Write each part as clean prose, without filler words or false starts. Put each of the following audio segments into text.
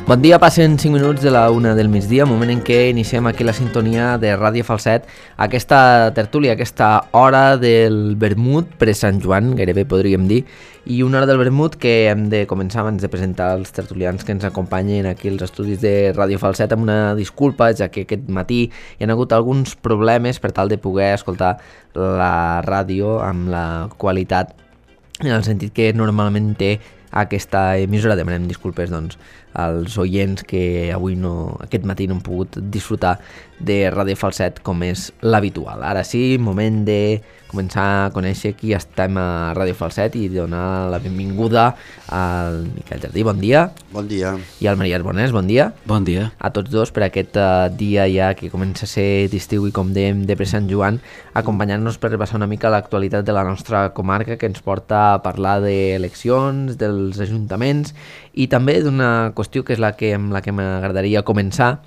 Bon dia, passen 5 minuts de la 1 del migdia, moment en què iniciem aquí la sintonia de Ràdio Falset, aquesta tertúlia, aquesta hora del vermut pre-Sant Joan, gairebé podríem dir, i una hora del vermut que hem de començar abans de presentar els tertulians que ens acompanyen aquí als estudis de Ràdio Falset amb una disculpa, ja que aquest matí hi ha hagut alguns problemes per tal de poder escoltar la ràdio amb la qualitat en el sentit que normalment té aquesta emissora. Demanem disculpes doncs als oients que avui aquest matí no han pogut disfrutar de Ràdio Falset com és l'habitual. Ara sí, moment de començar a conèixer qui estem a Ràdio Falset i donar la benvinguda al Miquel Jardí, bon dia. Bon dia. I al Maria Arbonès, bon dia. Bon dia. A tots dos per aquest dia ja que comença a ser d'estiu i com dèiem de pre-Sant Joan, acompanyant-nos per repassar una mica l'actualitat de la nostra comarca que ens porta a parlar d'eleccions, dels ajuntaments i també d'una qüestió que és amb la que m'agradaria començar,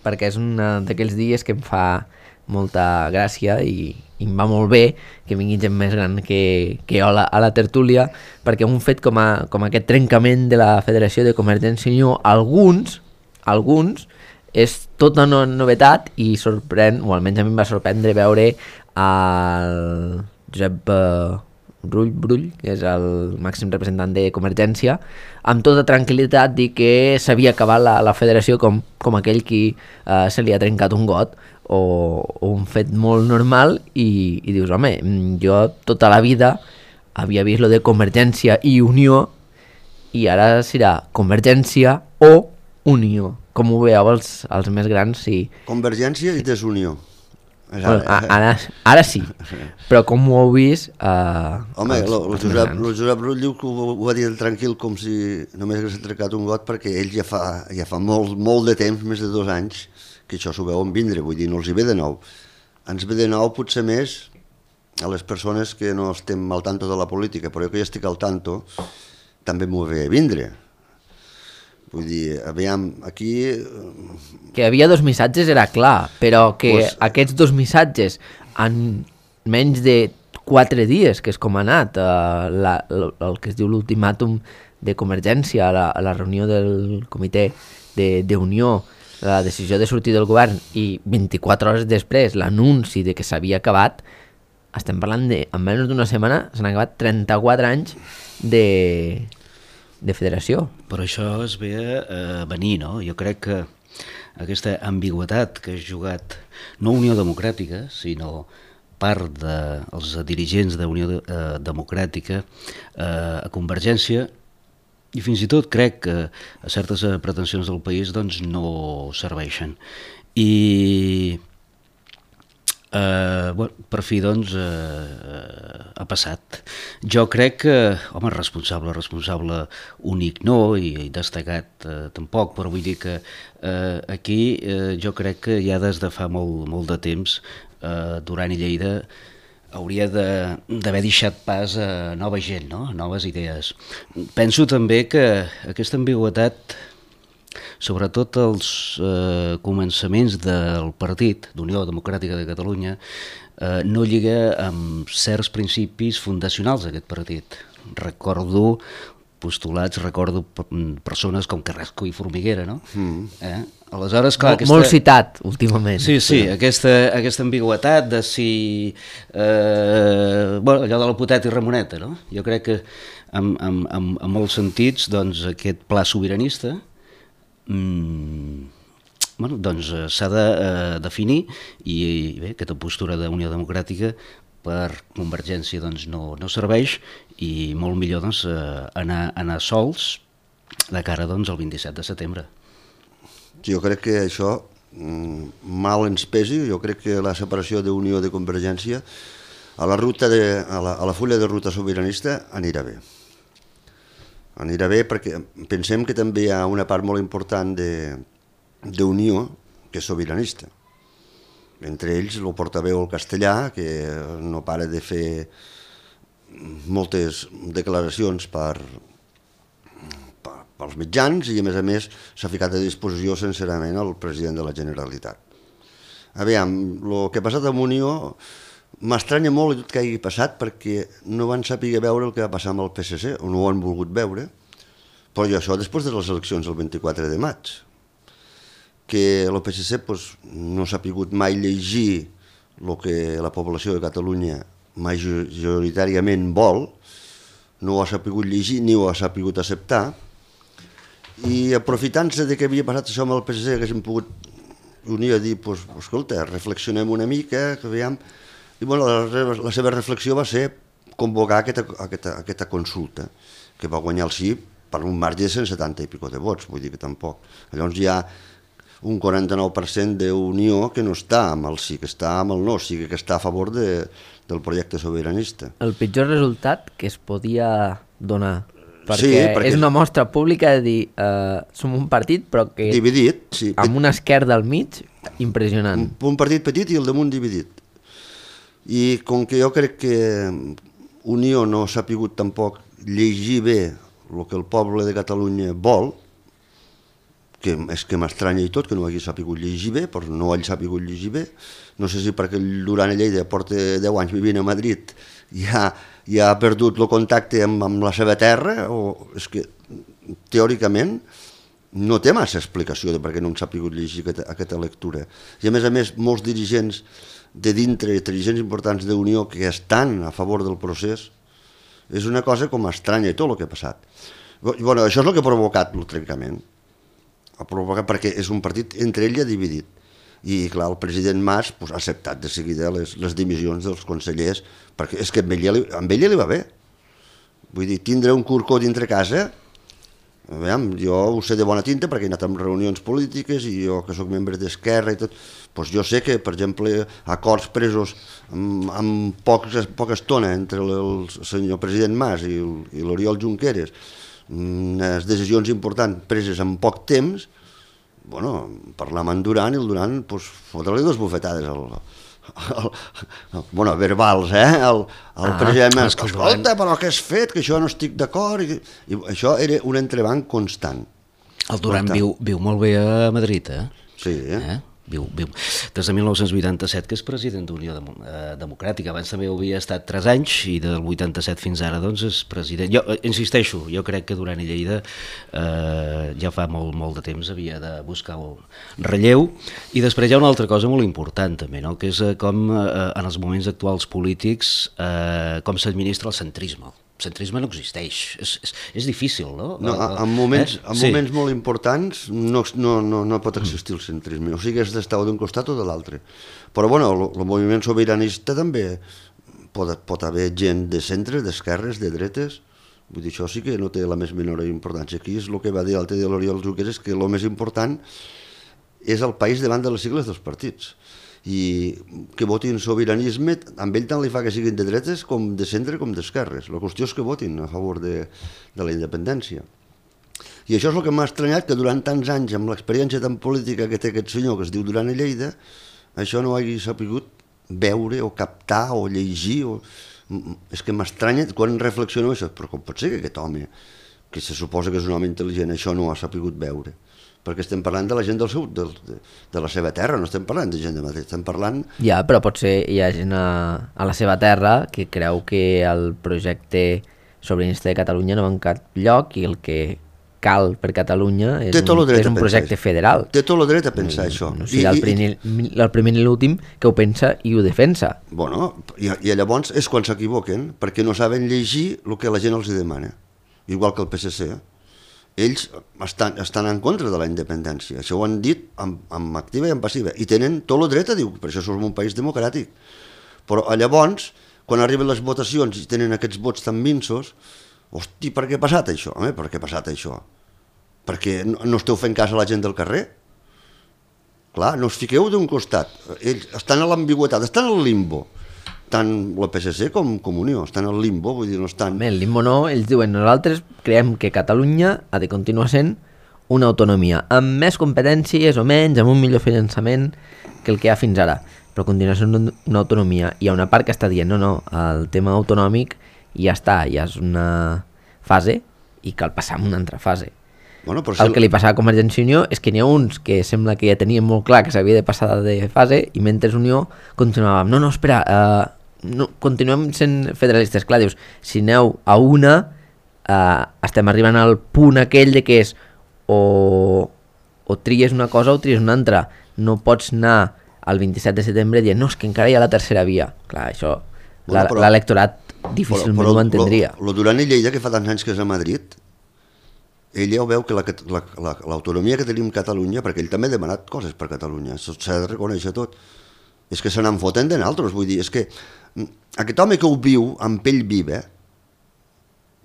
perquè és un d'aquells dies que em fa molta gràcia i em va molt bé que vingui gent més gran que jo a la tertúlia, perquè un fet com aquest trencament de la Federació de Convergència i Unió, alguns és tota una novetat i sorprèn, o almenys a mi em va sorprendre veure el Josep Brull, que és el màxim representant de Convergència, amb tota tranquil·litat dir que s'havia acabat la federació com aquell qui se li ha trencat un got o un fet molt normal i dius, home, jo tota la vida havia vist lo de Convergència i Unió i ara serà Convergència o Unió. Com ho veieu els més grans? Sí. Convergència i desunió. Bueno, ara sí, però com ho heu vist... Home, el Josep Rull diu que ho va dir tranquil com si només hagués trencat un got, perquè ell ja fa molt de temps, més de 2 anys, que això s'ho veuen vindre, vull dir, no els hi ve de nou. Ens ve de nou potser més a les persones que no estem al tanto de la política, però jo que ja estic al tanto també m'ho ve a vindre. Vull dir, aviam, aquí... Que havia 2 missatges era clar, però que aquests 2 missatges en menys de 4 dies, que és com ha anat el que es diu l'ultimàtum de Convergència a la reunió del comitè d'Unió, la decisió de sortir del govern i 24 hores després l'anunci de que s'havia acabat, estem parlant en menys d'una setmana s'han acabat 34 anys de federació. Però això es ve a venir, no? Jo crec que aquesta ambigüitat que ha jugat no Unió Democràtica, sinó part dels dirigents d'Unió Democràtica a Convergència, i fins i tot crec que a certes pretensions del país doncs no serveixen. I per fi doncs ha passat. Jo crec que, home, responsable únic no, i destacat tampoc, però vull dir que aquí jo crec que ja des de fa molt de temps Duran i Lleida hauria d'haver deixat pas a nova gent, no? A noves idees. Penso també que aquesta ambigüitat, sobretot els començaments del partit d'Unió Democràtica de Catalunya, no lliga amb certs principis fundacionals d'aquest partit. Recordo postulats, recordo persones com Carrasco i Formiguera, no? Aleshores, clar, molt citat últimament. Sí, aquesta ambigüitat de si... allò de la poteta i Ramoneta, no? Jo crec que en molts sentits doncs, aquest pla sobiranista doncs s'ha de definir i bé, aquesta postura d'Unió Democràtica per Convergència doncs, no serveix i molt millor doncs, anar sols de cara doncs, al 27 de setembre. Jo crec que això mal ens pesi. Jo crec que la separació d'Unió de Convergència a la fulla de ruta sobiranista anirà bé. Anirà bé perquè pensem que també hi ha una part molt important d'Unió que és sobiranista. Entre ells el portaveu el castellà, que no para de fer moltes declaracions pels mitjans i a més s'ha ficat a disposició sincerament el president de la Generalitat. Aviam, el que ha passat amb Unió m'estranya molt tot que hagi passat perquè no van saber veure el que va passar amb el PSC, o no ho han volgut veure, Però i això després de les eleccions el 24 de maig, que el PSC no s'ha pogut mai llegir el que la població de Catalunya majoritàriament vol, no ho ha sabut llegir ni ho ha sabut acceptar, i aprofitant-se de que havia passat això amb el PSC, haguéssim pogut unir a dir, escolta, reflexionem una mica, que veiem... I la seva reflexió va ser convocar aquesta consulta, que va guanyar el sí per un marge de 170 i pico de vots, vull dir que tampoc. Llavors hi ha un 49% d'Unió que no està amb el sí, que està amb el no, o sigui que està a favor del projecte sobiranista. El pitjor resultat que es podia donar, perquè, sí, perquè és una mostra pública de dir som un partit però que dividit, sí, amb una esquerda al mig impressionant. Un partit petit i el damunt dividit. I com que jo crec que Unió no s'ha pogut tampoc llegir bé el que el poble de Catalunya vol, que és que m'estranya i tot que no hagi sabut llegir bé, però no hagi sabut llegir bé, no sé si perquè el Duran Lleida porta 10 anys vivint a Madrid ja ha perdut el contacte amb la seva terra, o és que teòricament no té massa explicació de per què no s'ha pogut llegir aquesta lectura. I a més, molts dirigents de dintre, dirigents importants d'Unió que estan a favor del procés, és una cosa com estranya i tot el que ha passat. Bueno, això és el que ha provocat el trencament. Ha provocat perquè és un partit entre ell ja dividit. I clar, el president Mas ha acceptat de seguida les dimissions dels consellers, perquè és que amb ella li va bé. Vull dir, tindre un curcó dintre casa, jo ho sé de bona tinta perquè he anat en reunions polítiques i jo que sóc membre d'Esquerra i tot, doncs jo sé que, per exemple, acords presos amb poca estona entre el senyor president Mas i l'Oriol Junqueras, unes decisions importants preses en poc temps, bueno, parlar amb en Duran i el Duran fotre-li dues bufetades verbals, al president Mas, escolta, però què has fet, que això no estic d'acord, i això era un entrebanc constant. El Duran viu molt bé a Madrid, Sí, Viu. Des de 1987 que és president d'Unió Democràtica. Abans també ho havia estat 3 anys i del 87 fins ara doncs és president. Jo insisteixo, jo crec que Duran i Lleida ja fa molt de temps havia de buscar un relleu. I després hi ha una altra cosa molt important també, no? Que és com en els moments actuals polítics com s'administra el centrisme. El centrisme no existeix, és difícil, no? En moments molt importants no pot existir el centrisme, o sigui, has d'estar d'un costat o de l'altre. Però bueno, el moviment sobiranista també pot haver gent de centre, d'esquerres, de dretes, vull dir, això sí que no té la més menor importància. Aquí és el que va dir l'altre dia l'Oriol Junqueras, que el més important és el país davant de les sigles dels partits. I que votin sobiranisme, amb ell tant li fa que siguin de dretes com de centre com d'esquerres. La qüestió és que votin a favor de la independència. I això és el que m'ha estranyat, que durant tants anys, amb l'experiència tan política que té aquest senyor que es diu Duran i Lleida, això no hagi sabut veure o captar o llegir. És que m'estranya quan reflexiono això, però com pot ser que aquest home, que se suposa que és un home intel·ligent, això no ho ha sabut veure? Perquè estem parlant de la gent de la seva terra, no estem parlant de gent de Madrid, estem parlant... Ja, però potser hi ha gent a la seva terra que creu que el projecte sobiranista de Catalunya no va en cap lloc i el que cal per Catalunya és un projecte federal. Té tot el dret a pensar això. No sigui el primer i l'últim que ho pensa i ho defensa. Bueno, i llavors és quan s'equivoquen, perquè no saben llegir el que la gent els demana, igual que el PSC. Ells estan en contra de la independència, això ho han dit amb activa i amb passiva, i tenen tot el dret a dir, per això som un país democràtic. Però llavors, quan arriben les votacions i tenen aquests vots tan minsos, hosti, per què ha passat això? Per què ha passat això? Perquè no esteu fent cas a la gent del carrer? Clar, no us fiqueu d'un costat, ells estan a l'ambigüitat, estan al limbo. Tant la PSC com Unió estan al limbo, vull dir, no estan... El limbo no, ells diuen, nosaltres creiem que Catalunya ha de continuar sent una autonomia, amb més competències o menys, amb un millor finançament que el que hi ha fins ara, però continua sent una autonomia. Hi ha una part que està dient, no, el tema autonòmic ja està, ja és una fase i cal passar a una altra fase. Bueno, el que li passava a Convergència i Unió és que n'hi ha uns que sembla que ja tenien molt clar que s'havia de passar de fase i mentre Unió continuàvem, no, espera, continuem sent federalistes. Clar, dius, si aneu a una estem arribant al punt aquell de que és o tries una cosa o tries una altra. No pots anar el 27 de setembre dient no, és que encara hi ha la tercera via. Clar, això l'electorat difícilment ho entendria. Lo Duran i Lleida, que fa tants anys que és a Madrid, ell ja ho veu que l'autonomia que tenim a Catalunya, perquè ell també ha demanat coses per Catalunya, s'ha de reconèixer tot, és que se n'en foten de naltros, vull dir, és que aquest home que ho viu amb pell viva,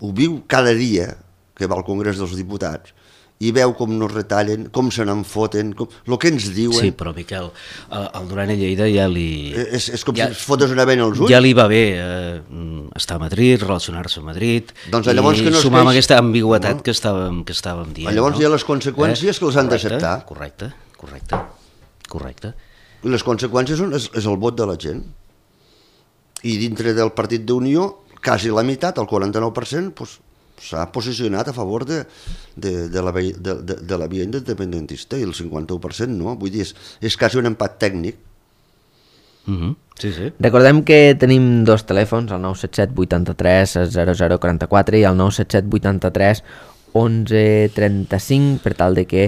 ho viu cada dia que va al Congrés dels Diputats, i veu com nos retallen, com se n'en foten, el que ens diuen... Sí, però Miquel, el Duran i Lleida ja li... És com si es fotés una vena als ulls. Ja li va bé estar a Madrid, relacionar-se a Madrid, doncs llavors que no sumar amb aquesta ambigüetat que estàvem dient. Llavors hi ha les conseqüències que els han d'acceptar. Correcte. I les conseqüències és el vot de la gent. I dintre del Partit d'Unió, quasi la meitat, el 49%, doncs, s'ha posicionat a favor de la via independentista i el 51% no, vull dir, és quasi un empat tècnic. Sí. Recordem que tenim dos telèfons, el 977 83 0044 i el 977 83 1135, per tal de que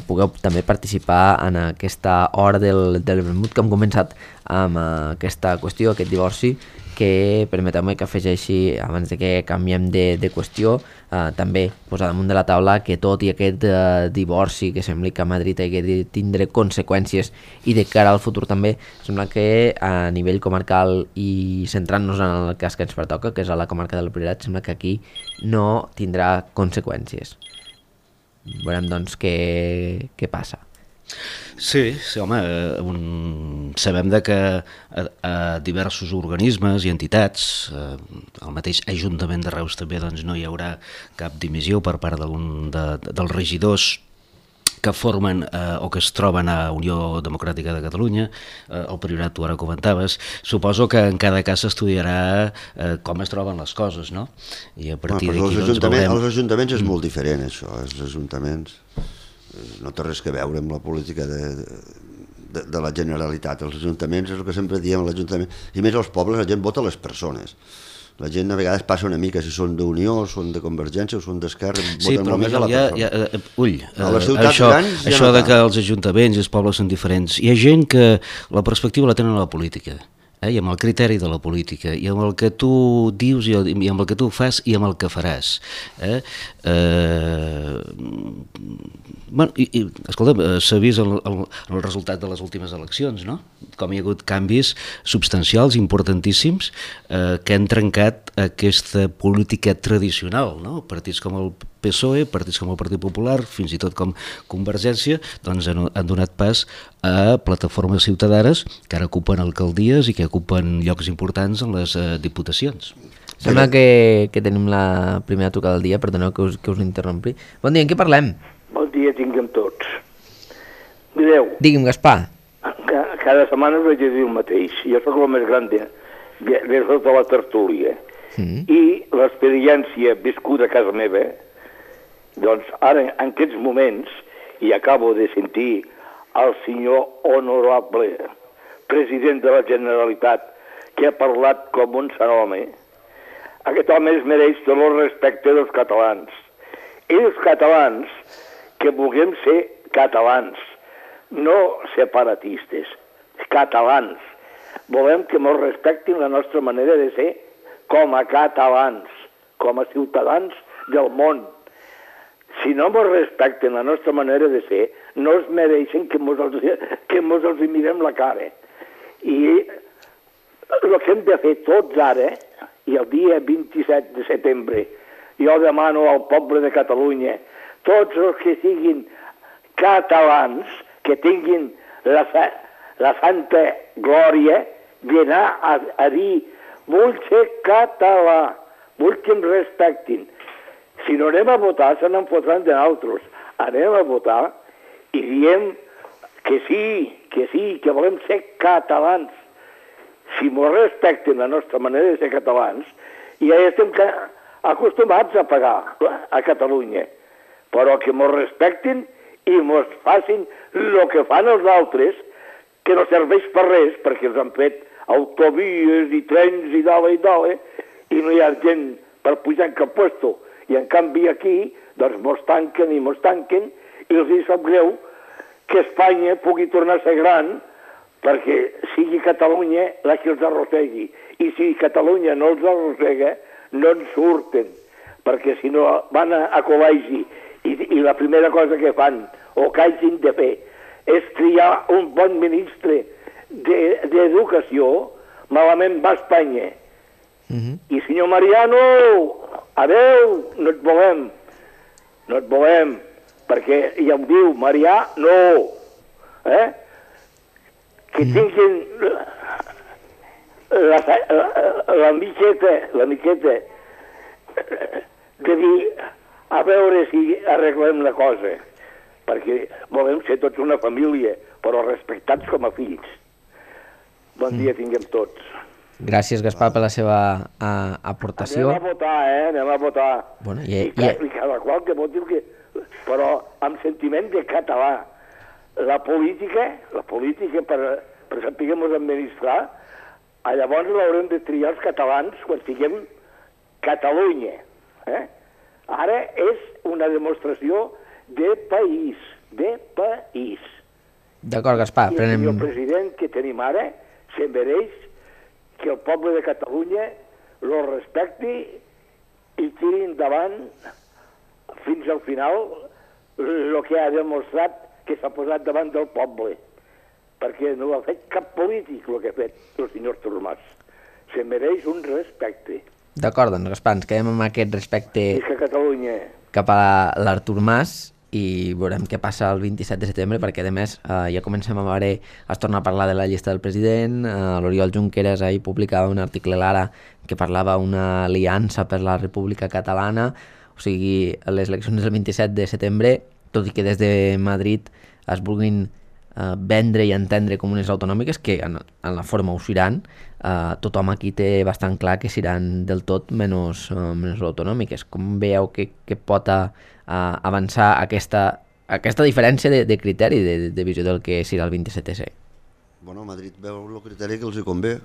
pugueu també participar en aquesta hora del vermut que hem començat amb aquesta qüestió, aquest divorci, que permeteu-me que afegeixi, abans de que canviem de qüestió, també posar damunt de la taula que tot i aquest divorci que sembla que a Madrid hagi de tindre conseqüències i de cara al futur també, sembla que a nivell comarcal i centrant-nos en el cas que ens pertoca, que és a la comarca del Priorat, sembla que aquí no tindrà conseqüències. Veurem doncs què passa. Sí, home, sabem que diversos organismes i entitats, el mateix Ajuntament de Reus també, doncs no hi haurà cap dimissió per part dels regidors que formen o que es troben a Unió Democràtica de Catalunya, el Priorat tu ara comentaves. Suposo que en cada cas s'estudiarà com es troben les coses, no? I a partir d'aquí els ajuntaments és molt diferent, això. Els ajuntaments no té res que veure amb la política de la Generalitat. Els ajuntaments és el que sempre diem, l'Ajuntament, i més als pobles la gent vota les persones. La gent a vegades passa una mica, si són d'Unió, són de Convergència o són d'Esquerra, voten molt més a la persona. Això de que els ajuntaments i els pobles són diferents, hi ha gent que la perspectiva la tenen a la política, i amb el criteri de la política, i amb el que tu dius, i amb el que tu fas, i amb el que faràs. Escolta, s'ha vist el resultat de les últimes eleccions, no? Com hi ha hagut canvis substancials, importantíssims, que han trencat aquesta política tradicional, no? Partits com el PSOE, partits com el Partit Popular, fins i tot com Convergència, doncs han donat pas a plataformes ciutadanes que ara ocupen alcaldies i que ocupen llocs importants en les diputacions. Sembla que tenim la primera trucada del dia, perdoneu que us interrompi. Bon dia, en què parlem? Bon dia tinguem tots. Mireu, Digui'm, Gaspar. cada setmana us vaig dir el mateix. Jo sóc el més gran de tota la tertúlia. I l'experiència viscuda a casa meva, doncs ara en aquests moments, i acabo de sentir el senyor honorable president de la Generalitat, que ha parlat com un sant home, aquest home es mereix tot el respecte dels catalans. I els catalans que vulguem ser catalans, no separatistes, catalans. Volem que ens respectin la nostra manera de ser com a catalans, com a ciutadans del món. Si no ens respecten la nostra manera de ser, no es mereixen que ens els mirem la cara. I el que hem de fer tots ara, i el dia 27 de setembre, jo demano al poble de Catalunya, tots els que siguin catalans, que tinguin la santa glòria d'anar a dir vull ser català, vull que em respectin. Si no anem a votar, se n'en fotran de nosaltres. Anem a votar i diem que sí, que volem ser catalans. Si ens respecten la nostra manera de ser catalans, ja estem acostumats a pagar a Catalunya, però que ens respectin i ens facin el que fan els altres, que no serveix per res, perquè els han fet autovies i trens i dale, i no hi ha gent per pujar en cap puesto, I en canvi aquí, doncs mos tanquen i els hi sap greu que Espanya pugui tornar a ser gran perquè sigui Catalunya la que els arrossegui. I si Catalunya no els arrossega, no en surten, perquè si no van a col·legi i la primera cosa que fan, o que hagin de fer, és triar un bon ministre d'Educació, malament va a Espanya. I senyor Mariano, adeu, no et volem, perquè ja em diu, Marià, no, que tinguin la miqueta de dir, a veure si arreglem la cosa, perquè volem ser tots una família, però respectats com a fills. Bon dia tinguem tots. Gràcies, Gaspar, per la seva aportació. Anem a votar. Bueno, I cada qual que voti, però amb sentiment de català. La política per saber-nos administrar, llavors l'haurem de triar els catalans quan siguem Catalunya. Ara és una demostració de país. D'acord, Gaspar. I el senyor president que tenim ara se mereix que el poble de Catalunya lo respecti i tiri endavant fins al final el que ha demostrat que s'ha posat davant del poble, perquè no ha fet cap polític el que ha fet el senyor Artur Mas. Se mereix un respecte. D'acord, doncs, Gaspar, ens quedem amb aquest respecte cap a l'Artur Mas i veurem què passa el 27 de setembre, perquè a més ja comencem a veure, es torna a parlar de la llista del president. L'Oriol Junqueras ahir publicava un article a l'Ara que parlava d'una aliança per la República Catalana, o sigui, les eleccions del 27 de setembre, tot i que des de Madrid es vulguin vendre i entendre com unes autonòmiques, que en la forma ho seran, tothom aquí té bastant clar que seran del tot menys autonòmiques. Com veieu que pot avançar aquesta diferència de criteri, de visió del que serà el 27S? Bueno, Madrid veu el criteri que els hi convé,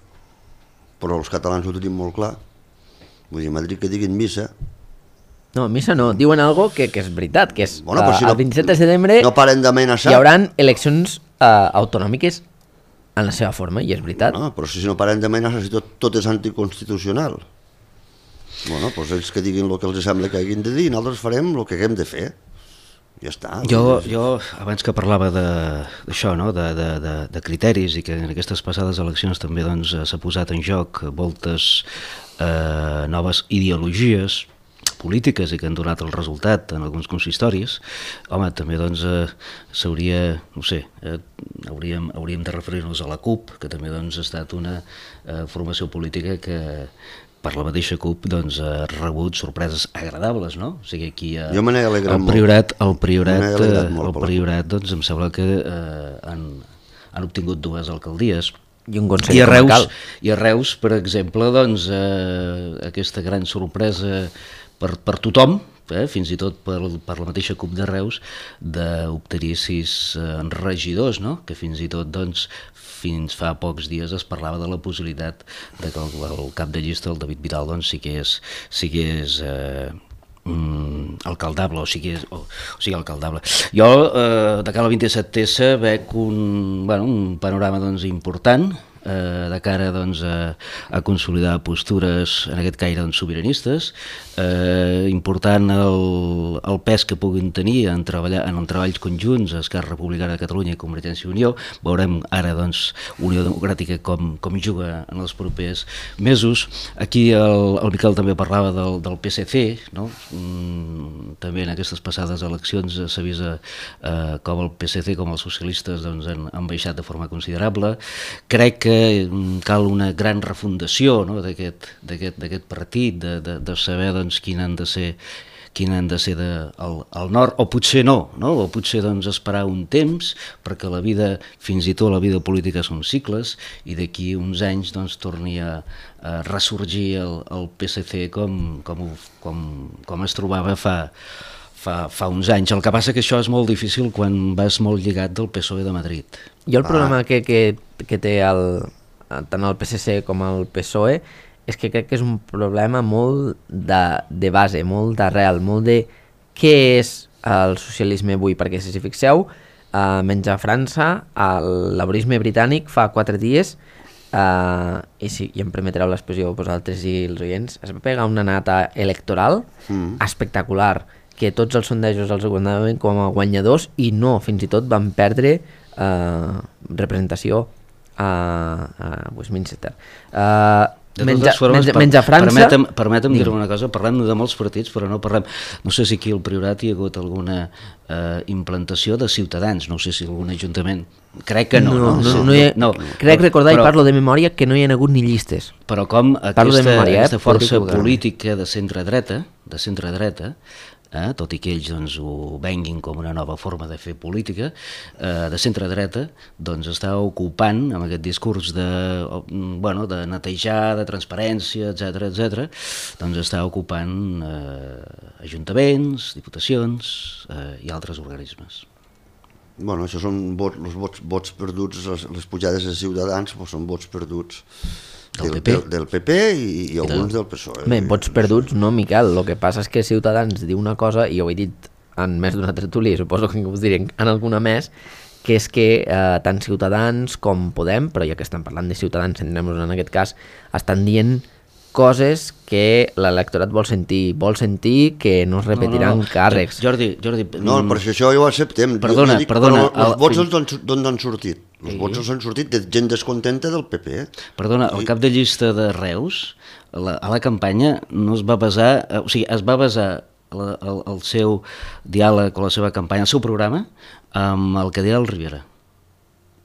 però els catalans ho tenim molt clar. Vull dir, Madrid que diguin missa... No, missa no, diuen algo que és veritat, que és bueno, si el 27 de setembre no paren d'amenaçar. Hi haurà eleccions autonòmiques en la seva forma, i és veritat. No, però si no paren d'amenaçar, si tot és anticonstitucional. Bueno, doncs ells que diguin el que els sembla que hagin de dir i nosaltres farem el que haguem de fer. Ja està. Jo abans que parlava d'això, no? de criteris, i que en aquestes passades eleccions també doncs, s'ha posat en joc moltes noves ideologies polítiques i que han donat el resultat en alguns consistoris, home, també doncs s'hauria, no sé, hauríem de referir-nos a la CUP, que també doncs ha estat una formació política que per la mateixa CUP doncs, ha rebut sorpreses agradables, no? O sigui, aquí jo me n'he alegrat el Priorat doncs em sembla que han obtingut 2 alcaldies. I un consell comarcal. I a Reus, per exemple, doncs, aquesta gran sorpresa per tothom, fins i tot per la mateixa CUP de Reus, d'obtenir 6 regidors, no? Que fins i tot doncs, fins fa pocs dies es parlava de la possibilitat de que el cap de llista, el David Vidal, doncs, sí que és alcaldable, o sigui alcaldable. Jo, de cara al 27S, veig un panorama doncs, important, de cara doncs, a consolidar postures, en aquest cas doncs, sobiranistes, important el pes que puguin tenir en treballs conjunts Esquerra Republicana de Catalunya i Convergència i Unió. Veurem ara doncs, Unió Democràtica com juga en els propers mesos. Aquí el Miquel també parlava del PSC, no? També en aquestes passades eleccions s'ha vist com el PSC com els socialistes doncs, han baixat de forma considerable. Crec que cal una gran refundació, no? d'aquest partit, de saber doncs, quin han de ser el nord, o potser no? O potser doncs, esperar un temps, perquè la vida, fins i tot la vida política són cicles, i d'aquí uns anys doncs, torni a ressorgir el PSC com es trobava fa uns anys. El que passa que això és molt difícil quan vas molt lligat del PSOE de Madrid. Jo el problema que té tant el PSC com el PSOE és que crec que és un problema molt de base, molt d'arrel, molt de què és el socialisme avui, perquè si fixeu, menys a França, el laborisme britànic fa 4 dies, i si em permetreu l'expressió vosaltres i els oients, es va pegar una nata electoral espectacular, que tots els sondejos els guanyaven com a guanyadors i no, fins i tot van perdre representació a Westminster. Menys a França... Permetem dir una cosa, parlem de molts partits, però no parlem... No sé si aquí al Priorat hi ha hagut alguna implantació de Ciutadans, no sé si algun ajuntament... Crec que no. Crec recordar, i parlo de memòria, que no hi ha hagut ni llistes. Però com aquesta força política de centre-dreta, tot i que ells ho venguin com una nova forma de fer política, de centre-dreta, doncs està ocupant, amb aquest discurs de netejar, de transparència, etc., doncs està ocupant ajuntaments, diputacions i altres organismes. Bueno, això són vots perduts, les pujades de Ciutadans són vots perduts del PP i alguns del PSOE. Bé, vots perduts no, Miquel, el que passa és que Ciutadans diu una cosa, i ho he dit en més d'una tertúlia, suposo que us diré en alguna més, que és que tant Ciutadans com Podem, però ja que estan parlant de Ciutadans, centrem-nos en aquest cas, estan dient coses que l'electorat vol sentir que no es repetiran càrrecs. Jordi... No, però si això ja ho acceptem. Perdona. Els vots d'on han sortit? Els vots han sortit de gent descontenta del PP. Perdona, el cap de llista de Reus, a la campanya no es va basar... O sigui, es va basar el seu diàleg o la seva campanya, el seu programa, amb el que deia el Rivera.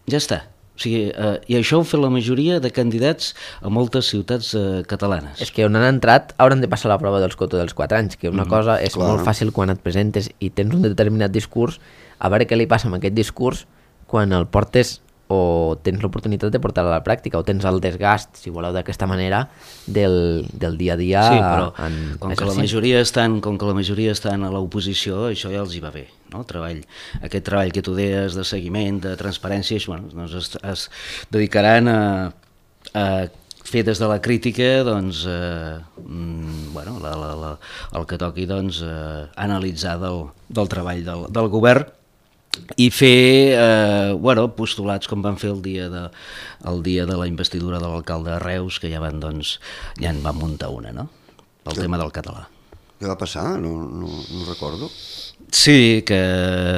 Ja està. O sigui, i això ho fa la majoria de candidats a moltes ciutats catalanes. És que on han entrat hauran de passar la prova dels cotos dels 4 anys, que una cosa és molt fàcil quan et presentes i tens un determinat discurs, a veure què li passa amb aquest discurs quan el portes o tens l'oportunitat de portar-lo a la pràctica, o tens el desgast, si voleu d'aquesta manera, del dia a dia. Sí, però com que la majoria estan a l'oposició, això ja els hi va bé, no? Aquest treball que tu deies de seguiment, de transparència, doncs es dedicaran a fer des de la crítica, doncs, el que toqui, doncs, analitzar del treball del govern i fer postulats com van fer el dia de la investidura de l'alcalde de Reus, que ja en van muntar una, no? El tema del català. Què va passar? No recordo. Sí, que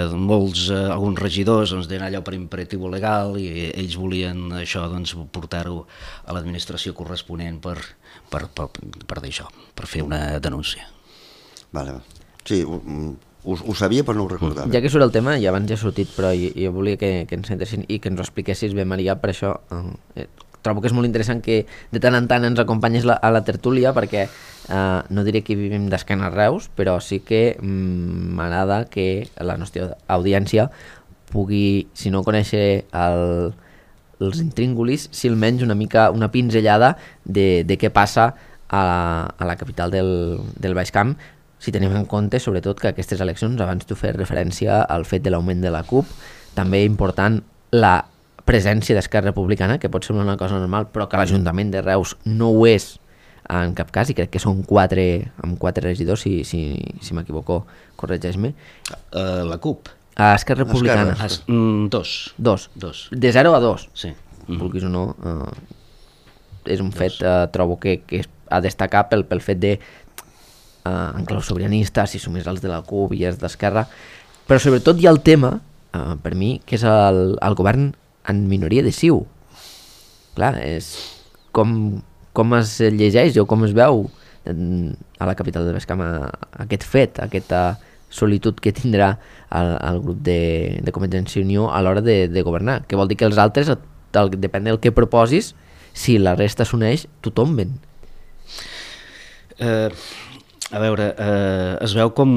alguns regidors deien allò per imperatiu legal i ells volien això portar-ho a l'administració corresponent per dir això, per fer una denúncia. Vale. Sí, ho sabia però no ho recordava. Ja que surt el tema, i abans ja ha sortit, però jo volia que ens centressin i que ens ho expliquessis bé, Maria, per això trobo que és molt interessant que de tant en tant ens acompanyes a la tertúlia, perquè no diré que vivim d'esquena a Reus, però sí que m'agrada que la nostra audiència pugui, si no conèixer els intríngulis, si almenys una pinzellada de què passa a la capital del Baix Camp, si tenim en compte, sobretot, que aquestes eleccions, abans tu fes referència al fet de l'augment de la CUP, també important la presència d'Esquerra Republicana, que pot semblar una cosa normal, però que l'Ajuntament de Reus no ho és en cap cas, i crec que són 4 regidors, si m'equivoco, corregeix-me. La CUP? Esquerra Republicana. 2. De 0 a 2. Sí. Vulguis o no, és un fet, trobo que a destacar pel fet de en clau sobiranista, si sumés els de la CUP i els d'Esquerra, però sobretot hi ha el tema, per mi, que és el govern en minoria de CiU. Clar, és com es llegeix o com es veu a la capital del Baix Camp aquest fet, aquesta solitud que tindrà el grup de Convergència i Unió a l'hora de governar, que vol dir que els altres, depèn del que proposis, si la resta s'uneix, t'ho tomben. A veure, es veu com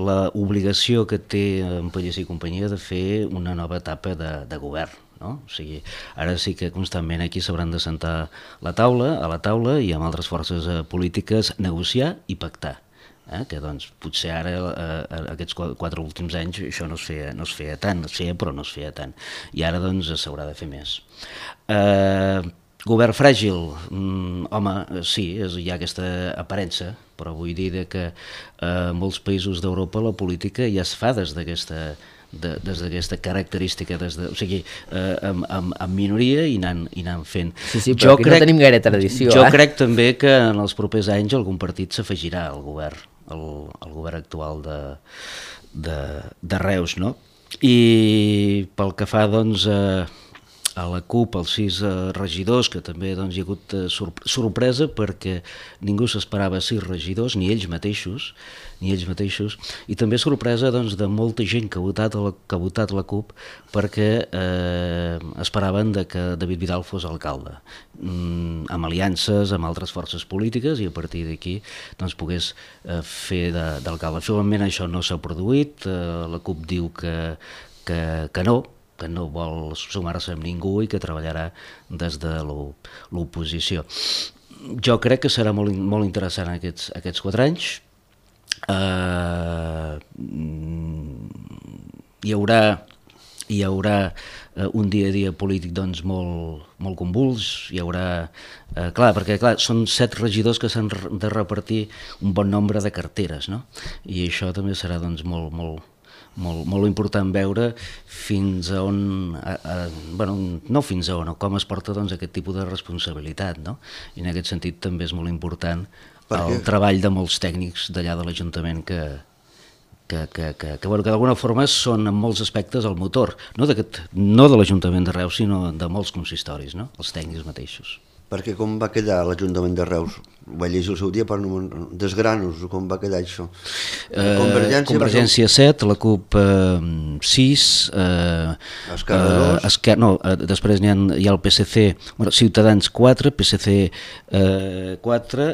l'obligació que té en Pallés i companyia de fer una nova etapa de govern, no? O sigui, ara sí que constantment aquí s'hauran de sentar a la taula i amb altres forces polítiques negociar i pactar, que doncs potser ara aquests 4 últims anys això no es feia tant, es feia però no es feia tant, i ara doncs s'haurà de fer més. Govern fràgil, home, sí, hi ha aquesta aparença, però vull dir que en molts països d'Europa la política ja es fa des d'aquesta característica, o sigui, amb minoria i anant fent. Sí, però aquí no tenim gaire tradició. Jo crec també que en els propers anys algun partit s'afegirà al govern, el govern actual de Reus, no? I pel que fa, doncs, a la CUP, els 6 regidors, que també doncs, hi ha hagut sorpresa perquè ningú s'esperava 6 regidors, ni ells mateixos, i també sorpresa doncs, de molta gent que ha votat la CUP perquè esperaven que David Vidal fos alcalde, amb aliances amb altres forces polítiques i a partir d'aquí doncs, pogués fer d'alcalde. Finalment això no s'ha produït, la CUP diu que no vol sumar-se amb ningú i que treballarà des de l'oposició. Jo crec que serà molt interessant aquests 4 anys. Hi haurà un dia a dia polític doncs, molt convuls, hi haurà... perquè són 7 regidors que s'han de repartir un bon nombre de carteres, no? I això també serà doncs, molt important veure fins a on, no fins a on, com es porta doncs, aquest tipus de responsabilitat, no? I en aquest sentit també és molt important el treball de molts tècnics d'allà de l'Ajuntament que d'alguna forma són en molts aspectes el motor, no de l'Ajuntament de Reus, sinó de molts consistoris, no? Els tècnics mateixos. Perquè com va quedar l'Ajuntament de Reus? Ho vaig llegir el seu dia per desgranos, com va quedar això? Convergència 7, la CUP 6, Esquerra 2. Després hi ha el PSC, Ciutadans 4, PSC 4,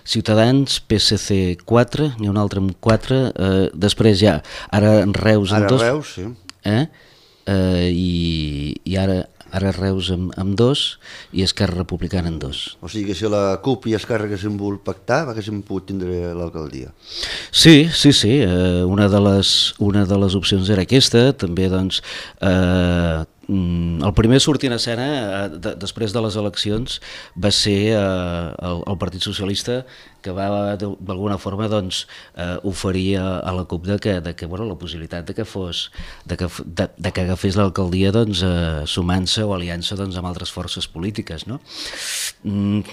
Ciutadans, PSC 4, n'hi ha un altre amb 4, després hi ha ara Reus amb 2. Ara Reus, sí. I ara Reus amb 2 i Esquerra Republicana amb 2. O sigui que si la CUP i Esquerra haguessin volgut pactar, haguessin pogut tindre l'alcaldia. Sí, una de les opcions era aquesta, també doncs... el primer a sortir en escena després de les eleccions va ser el Partit Socialista, que va d'alguna forma doncs, oferir a la CUP la possibilitat de que agafés l'alcaldia doncs, sumant-se o aliant-se doncs, amb altres forces polítiques, no? La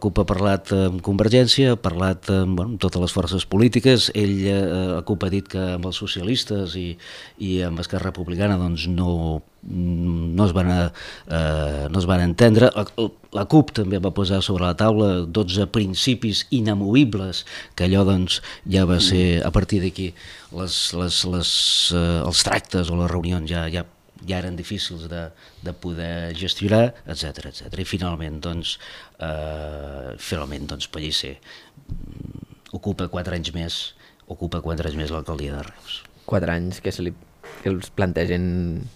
CUP ha parlat amb Convergència, ha parlat amb totes les forces polítiques, la CUP ha dit que amb els socialistes i amb Esquerra Republicana doncs, no es van entendre. La CUP també va posar sobre la taula 12 principis inamovibles, que allò doncs, ja va ser, a partir d'aquí els tractes o les reunions ja eren difícils de poder gestionar, etc. I finalment Pellicer ocupa 4 anys més l'alcaldia de Reus. 4 anys que els plantegen,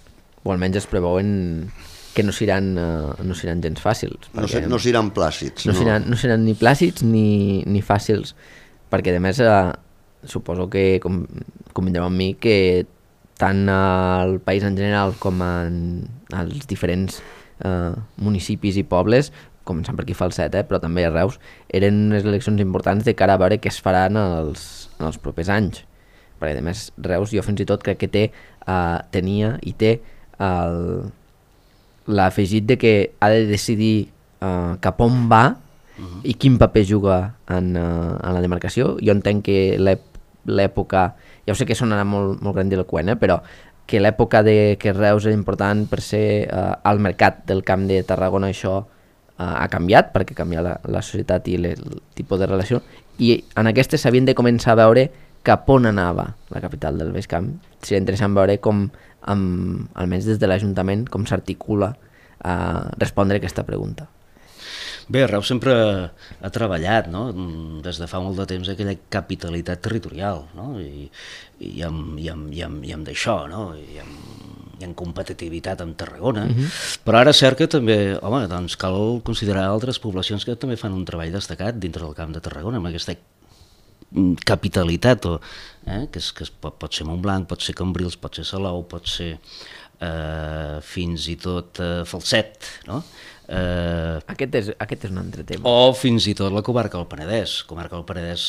o almenys es preveuen que no seran gens fàcils. No seran plàcids. No seran ni plàcids ni fàcils, perquè a més suposo que convindreu amb mi que tant al país en general com als diferents municipis i pobles, començant per aquí Falset, però també a Reus, eren unes eleccions importants de cara a veure què es faran en els propers anys. Perquè a més Reus jo fins i tot crec que tenia i té l'afegit de que ha de decidir cap on va i quin paper juga en la demarcació. Jo entenc que l'època, ja ho sé que sonarà molt grandiloqüent, però que l'època de que Reus era important per ser al mercat del Camp de Tarragona, això ha canviat, perquè canvia la societat i el tipus de relació, i en aquestes s'havien de començar a veure cap on anava la capital del Baix Camp. Seria interessant veure com, almenys des de l'Ajuntament, com s'articula a respondre aquesta pregunta. Bé, Reus sempre ha treballat, no? Des de fa molt de temps aquella capitalitat territorial, no? I amb d'això, no? I amb competitivitat amb Tarragona, però ara és cert que també, doncs cal considerar altres poblacions que també fan un treball destacat dintre del Camp de Tarragona, amb aquesta capitalitat, que pot ser Montblanc, pot ser Cambrils, pot ser Salou, pot ser fins i tot Falset, no? Aquest és un altre tema. O fins i tot la comarca del Penedès. La comarca del Penedès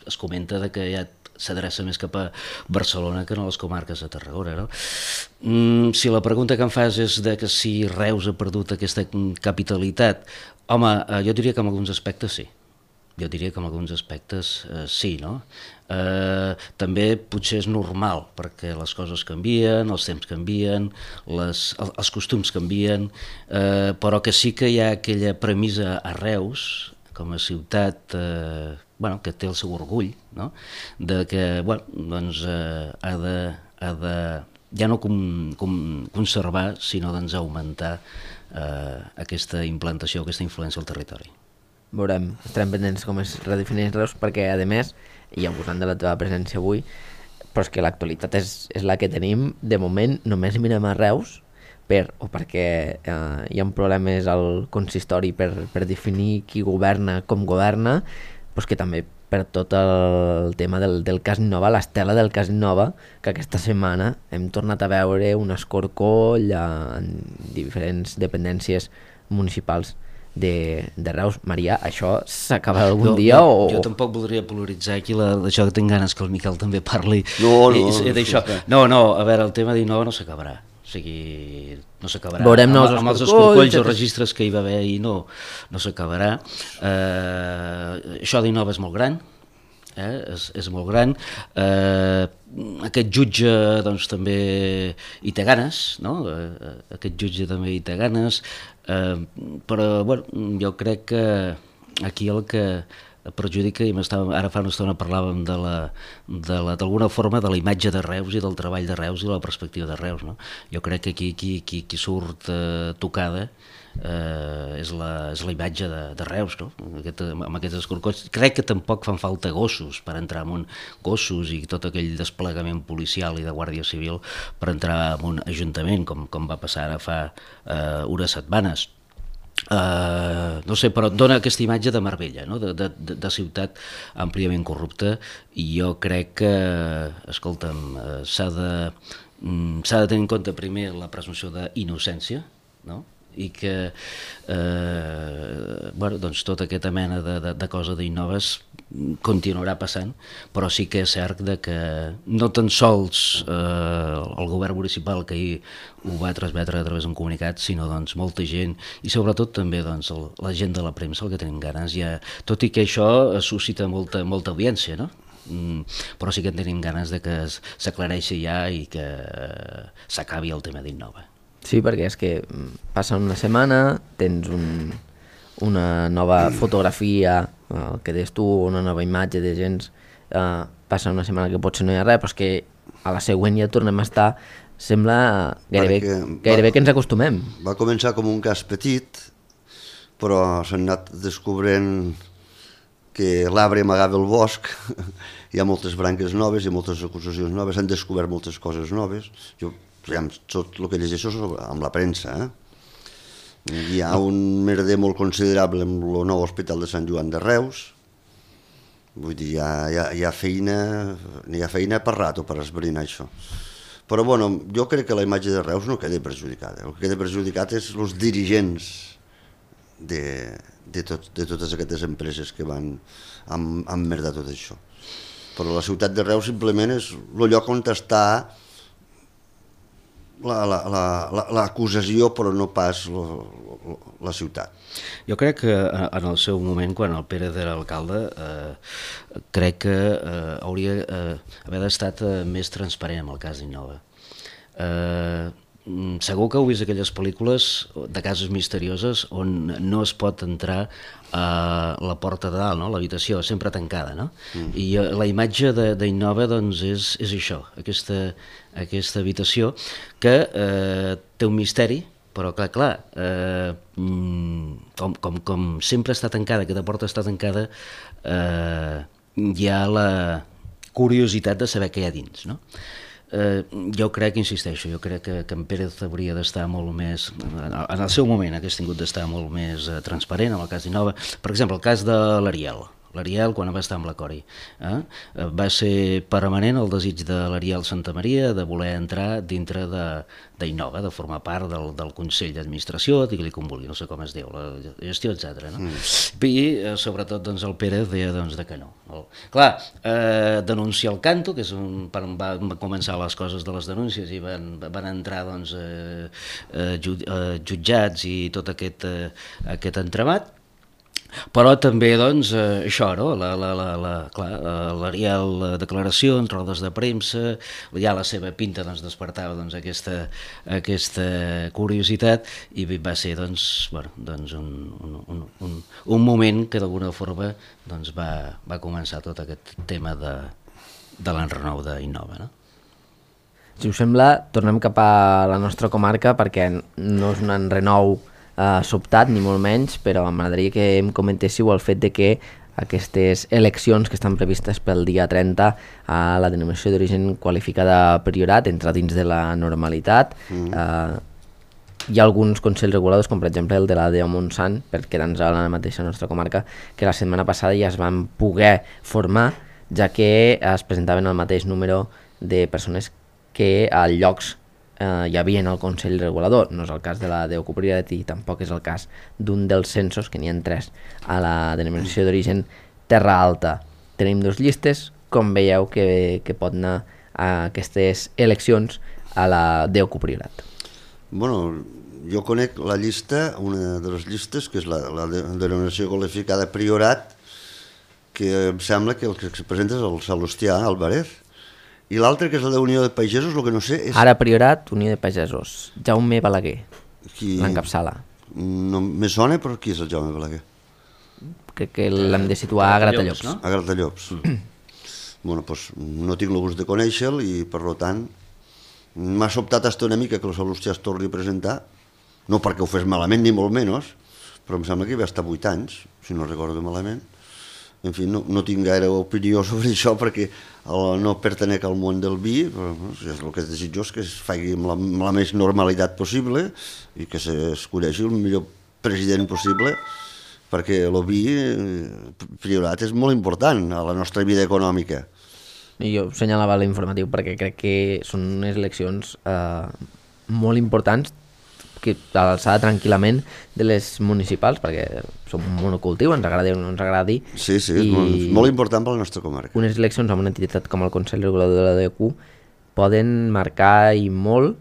es comenta que ja s'adreça més cap a Barcelona que no a les comarques de Tarragona, no? Si la pregunta que em fas és de que si Reus ha perdut aquesta capitalitat, home, jo diria que en alguns aspectes sí. Jo diria que en alguns aspectes sí, no? També potser és normal, perquè les coses canvien, els temps canvien, els costums canvien, però que sí que hi ha aquella premissa a Reus, com a ciutat que té el seu orgull, no? De que doncs, ha de ja no conservar, sinó doncs, augmentar aquesta implantació, aquesta influència al territori. Veurem, estarem pendents com es redefineix Reus, perquè a més, i abusant de la teva presència avui, però és que l'actualitat és la que tenim. De moment només mirem a Reus perquè hi ha problemes al consistori per definir qui governa, com governa, però és que també per tot el tema del cas Innova, l'estela del cas Innova, que aquesta setmana hem tornat a veure un escorcoll en diferents dependències municipals de Reus. Maria, això s'acabarà algun dia? Jo tampoc voldria polaritzar aquí això que tinc ganes que el Miquel també parli. No, a veure, el tema d'Innova no s'acabarà. O sigui, no s'acabarà. Veurem amb els escorcolls o registres que hi va haver ahir no s'acabarà. Això d'Innova és molt gran, és molt gran. Aquest jutge doncs també hi té ganes, no? Aquest jutge també hi té ganes, però jo crec que aquí el que perjudica, i ara fa una estona parlàvem d'alguna forma de la imatge de Reus i del treball de Reus i de la perspectiva de Reus, no? Jo crec que aquí qui surt tocada és la imatge de Reus, no? Amb aquests escorcolls. Crec que tampoc fan falta gossos per entrar en gossos i tot aquell desplegament policial i de Guàrdia Civil per entrar en un ajuntament, com va passar ara fa unes setmanes. No sé, però dona aquesta imatge de Marbella, no? de ciutat àmpliament corrupta, i jo crec que, escolta'm, s'ha de tenir en compte primer la presumpció d'innocència, no? I que doncs tota aquesta mena de cosa d'Innoves continuarà passant, però sí que és cert que no tan sols el govern municipal que ahir ho va transmetre a través d'un comunicat, sinó doncs molta gent i sobretot també doncs la gent de la premsa, el que tenim ganes ja, tot i que això suscita molta audiència, no? Però sí que tenim ganes de que s'aclareixi ja i que s'acabi el tema d'Innova. Sí, perquè és que passa una setmana, tens una nova fotografia, el que deies tu, una nova imatge de gens, passa una setmana que potser no hi ha res, però és que a la següent ja tornem a estar, sembla gairebé que ens acostumem. Va començar com un cas petit, però s'han anat descobrint que l'arbre amagava el bosc, hi ha moltes branques noves, hi ha moltes acusacions noves, s'han descobert moltes coses noves. Tot el que llegeixo amb la premsa. Hi ha un merder molt considerable amb el nou hospital de Sant Joan de Reus. Vull dir, hi ha feina per rato per esbrinar això. Però bueno, jo crec que la imatge de Reus no queda perjudicada. El que queda perjudicat és els dirigents de totes aquestes empreses que van emmerdar tot això. Però la ciutat de Reus simplement és el lloc on està l'acusació, però no pas la ciutat. Jo crec que en el seu moment, quan el Pérez era alcalde, crec que hauria d'haver estat més transparent amb el cas d'Innova. Segur que heu vist aquelles pel·lícules de casos misterioses on no es pot entrar a la porta de dalt, no? L'habitació sempre tancada, no? I la imatge d'Innova doncs és això, aquesta habitació que té un misteri, però clar, com sempre està tancada, aquesta porta està tancada, hi ha la curiositat de saber què hi ha dins, no? Jo crec, insisteixo, jo crec que en Pérez hauria d'estar molt més, en el seu moment hagués tingut d'estar molt més transparent en el cas d'Innova. Per exemple, el cas de l'Ariel. l'Ariel quan va estar amb la Cori. Va ser permanent el desig de l'Ariel Santamaria de voler entrar dintre d'Innova, de formar part del Consell d'Administració, digue-li com vulgui, no sé com es diu, la gestió, etc. No? I sobretot doncs, el Pérez deia doncs, que no. Clar, denunciar el canto, que és van començar les coses de les denúncies i van entrar doncs, jutjats i tot aquest entramat. Però també doncs, això, no? L'Ariel, declaracions, rodes de premsa, ja la seva pinta doncs, despertava doncs, aquesta curiositat i va ser doncs, bueno, doncs un moment que d'alguna forma doncs, va començar tot aquest tema de l'enrenou d'Innova. No? Si us sembla, tornem cap a la nostra comarca perquè no és un enrenou sobtat, ni molt menys, però m'agradaria que em comentéssiu el fet de que aquestes eleccions que estan previstes pel dia 30 a la denominació d'origen qualificada Priorat entra dins de la normalitat. Hi ha alguns consells reguladors, com per exemple el de la DEO Montsant, per quedar-nos a la mateixa nostra comarca, que la setmana passada ja es van poder formar, ja que es presentaven el mateix número de persones que a llocs hi havia en el Consell Regulador. No és el cas de la DEO Priorat i tampoc és el cas d'un dels censos, que n'hi ha 3 a la denominació d'origen Terra Alta. Tenim 2 llistes, com veieu que pot anar a aquestes eleccions a la DEO Priorat? Bueno, jo conec la llista, una de les llistes, que és la denominació qualificada Priorat, que em sembla que el que es presenta és el Salustià Alvarez. I l'altre, que és la d'Unió de Pagesos, el que no sé és... Ara Priorat, Unió de Pagesos. Jaume Balaguer, l'encapçala. No, me sona, però qui és el Jaume Balaguer? Crec que l'hem de situar a Gratallops. No? A Gratallops. Bueno, doncs no tinc el gust de conèixer-lo i, per tant, m'ha sobtat hasta una mica que el Salustià es torni a presentar, no perquè ho fes malament ni molt menys, però em sembla que hi va estar 8 anys, si no recordo malament. En fi, no tinc gaire opinió sobre això perquè no pertenec al món del vi, però el que és desitjós és que es faci amb la més normalitat possible i que s'escolleixi el millor president possible, perquè el vi Priorat és molt important a la nostra vida econòmica. I jo assenyalava l'informatiu perquè crec que són unes eleccions molt importants, que a l'alçada tranquil·lament de les municipals, perquè som un monocultiu, ens agradi o no ens agradi. Sí, és molt important per la nostra comarca. Unes eleccions amb una entitat com el Consell Regulador de la DEQ poden marcar i molt